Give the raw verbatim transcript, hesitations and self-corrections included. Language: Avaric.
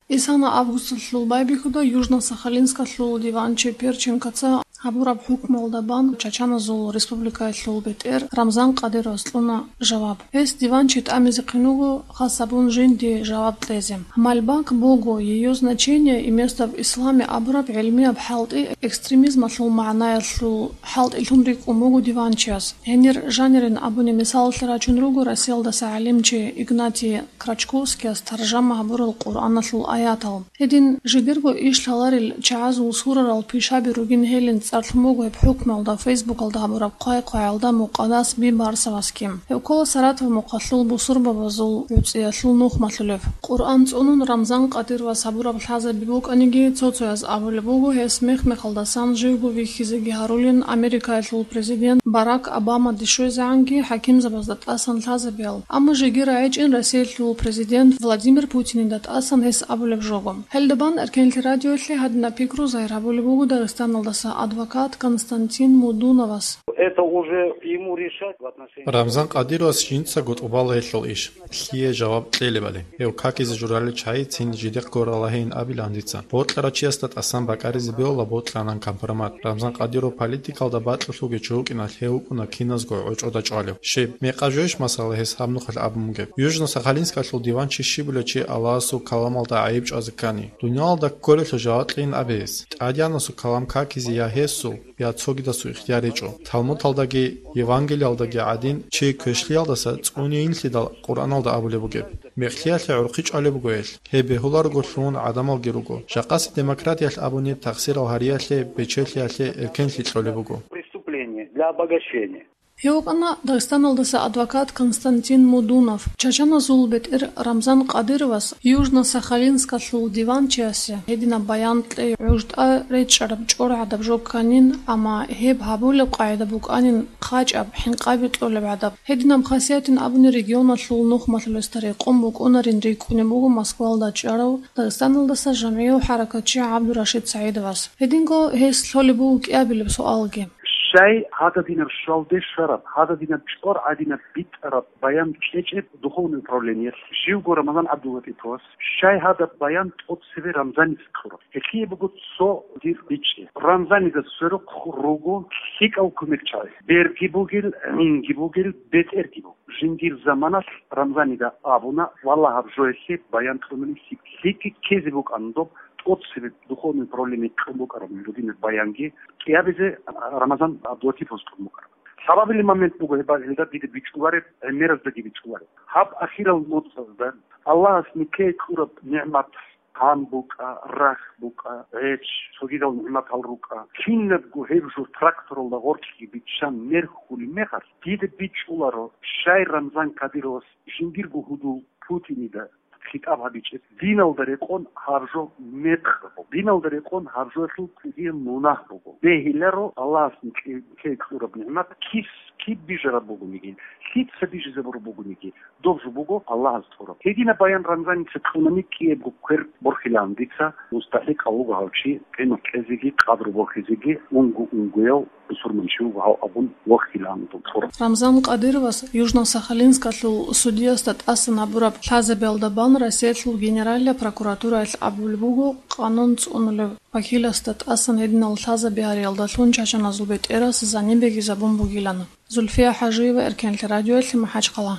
Исана августалъул байбихьуда Южно-Сахалинскалъул диванчи Перченкоца гьабураб хӀукмуялда бан чачаназул республикаялъул бетӀер Рамзан Кадыровас кьуна жаваб. Гьес диванчи тӀамизехъин вуго хас гьабун жинди жаваб кьезе. Мальбак буго, ее значение и место в исламе абураб гӀилмияб хӀалтӀи экстремизмалъул магӀнаялъул хӀалтӀилъун рикӀкӀун буго диванчияс. Гьенир жанирин абуни мисалалъе рачун руго Россиялдаса гӀалимчи Игнатий Крачковскияс таржама гьабурал Къуръаналъул аятал. Гьедин жидерго иш лъаларел чагӀазул сурарал пишаби ругин гьелин цӀар лъун буго гьеб хӀукмуялда Фейсбукалда гьабураб хъвай-хъваялда Мукъадас Бибарсовасги. Гьев ккола Саратов мухъалъул бусурбабазул гӀуцӀиялъул нухмалъулев. Къуръан цӀунун Рамзан Кадыровас гьабураб лъазаби букӀаниги, цо-цояз абулеб буго, гьес мех-мехалдасан живго вихьизеги гьарулин Америкаялъул президент Барак Обамаде щвезегӀанги хӀакимзабазда тӀасан лъазабиял. Амма жеги рагӀичӀин Россиялъул президент Владимир Путинида тӀасан гьес абулеб жого. Гьелда бан Эркенлъи радиоялъе гьадинаб пикру загьир гьабулеб буго Дагъистаналдаса адвокат Константин Мудуновас. Это уже ему решать в отношении Рамзан Кадыровас жинцаго тӀубала гьелъул иш, лъие жаваб кьелебали. Гьев какизе журалел чагӀицин жидехъго ралагьейин абилан дица. Бокьарав чиясда тӀасан бакӀаризе бегьула бокьанан компромат. Рамзан Кадыров политикалда бакьулъулги чи вукӀиналъ гьев вукӀуна киназго гӀочӀода чӀвалев. Щиб, мекъаб жойищ масала гьес гьаб нухалъ абун бугеб? Южно-Сахалинскалъул диванчи щиб бугеб чи Аллагьасул каламалда гӀайиб чӀвазе ккани? Дуниялалда кколелъул жаваб кьейин абе гьес. ТӀадегӀанасул калам какизе я гьесул, я цогидасул ихтияр гьечӀо. Талмудалдаги Евангелиялдаги гӀадин, чи квешлъиялдаса цӀунейинлъидал Къуръаналда абулеб бугеб. Мекълъиялъе гӀурхъи чӀвалеб буго гьелъ. Гьеб бегьуларого лъугьун гӀадамалги руго. Жакъасеб демократиялъ абуни тахсирал гьариялъе, бечелъиялъе, эркенлъи кьолеб буго. Преступление для обогащения. Гьев вукӀана Дагъистаналдаса адвокат Константин Мудунов. Чачаназул бетӀер Рамзан Кадыровас Южно-Сахалинскалъул диванчиясе гьединаб баян кьей гӀужда речӀчӀараб чӀоргӀадаб жо кканин, амма гьеб гьабулеб къагӀида букӀанин хъачӀаб, хӀинкъаби кьолеб гӀадаб. Гьединаб хасиятин абуни регионалъул нухмалъулесда рекъон букӀунарин рикӀкӀунеб буго Москвалда чӀарав Дагъистаналдаса жамгӀияв хӀаракатчи ГӀабдурашид СагӀидовас. Гьединго гьес лъолеб буго кӀиабилеб суалги. Щай гьададинаб щвалде щвараб, гьададинаб чӀвар гӀадинаб битӀараб баян кьечӀеб духовный управлениялъ живго Рамазан ГӀабдуллатӀиповас, щай гьадаб баян тӀоцебе Рамзаница кьураб? Гьелъие буго цо дир бичӀчӀи. Рамзанида сверухъ руго лъикӀав кумекчагӀи. Берги бугел, гӀинги бугел, бетӀерги бугел. Жиндир заманалъ Рамзанида абуна, валлагь, гьаб жоялъе баян кьунани лъикӀ-, лъикӀги ккезе букӀана доб тӀоцебе духовный управление кьун букӀараб дудинаб баянги кӀиабизе Рамазан ГӀабдуллатиповас кьун букӀараб. Лъабабилеб момент буго гьеб, гьелда дида бичӀчӀулареб, гӀемераздаги бичӀчӀулареб. Гьаб ахирал моцӀазда Аллагьас никее кьураб нигӀмат, гьан букӀа, рахь букӀа, гӀеч, цогидал нигӀматал рукӀа. Кинабго гьеб жо тракторалда гъоркьги биччан мерхьулеб мехалъ, дида бичӀчӀуларо, щай Рамзан Кадыровас жиндирго гьудул Путинида хитӀаб гьабичӀеб, диналда рекъон гьаб жо мекъ буго, диналда рекъон гьаб жоялъул кӀудияб мунагь буго. Бегьиларо Аллагьас нике кьураб нигӀмат кис, киб бижараб бугониги, лъица бижизабураб бугониги, доб жо буго Аллагьас кьураб. Гьединаб баян Рамзаница кьунани кӀиябго квер борхилаан дица, мустахӀикъав вуго гьав чи, къимат кьезеги, къадру борхизеги, унго-унгояв бусурманчи вуго гьав абун вохилаан доб кьураб. Рамзан Кадыровас Южно-Сахалинскалъул судиясда тӀасан гьабураб лъазабиялда бан Россиялъул Генералияб прокуратураялъ абулеб буго къанун цӀунулев вакиласда тӀасан гьединал лъазаби гьариялдалъун чачаназул бетӀерас заниб бегизабун бугилан. Зульфия ХӀажиева, Эркенлъи радиоялъе, МахӀачхъала.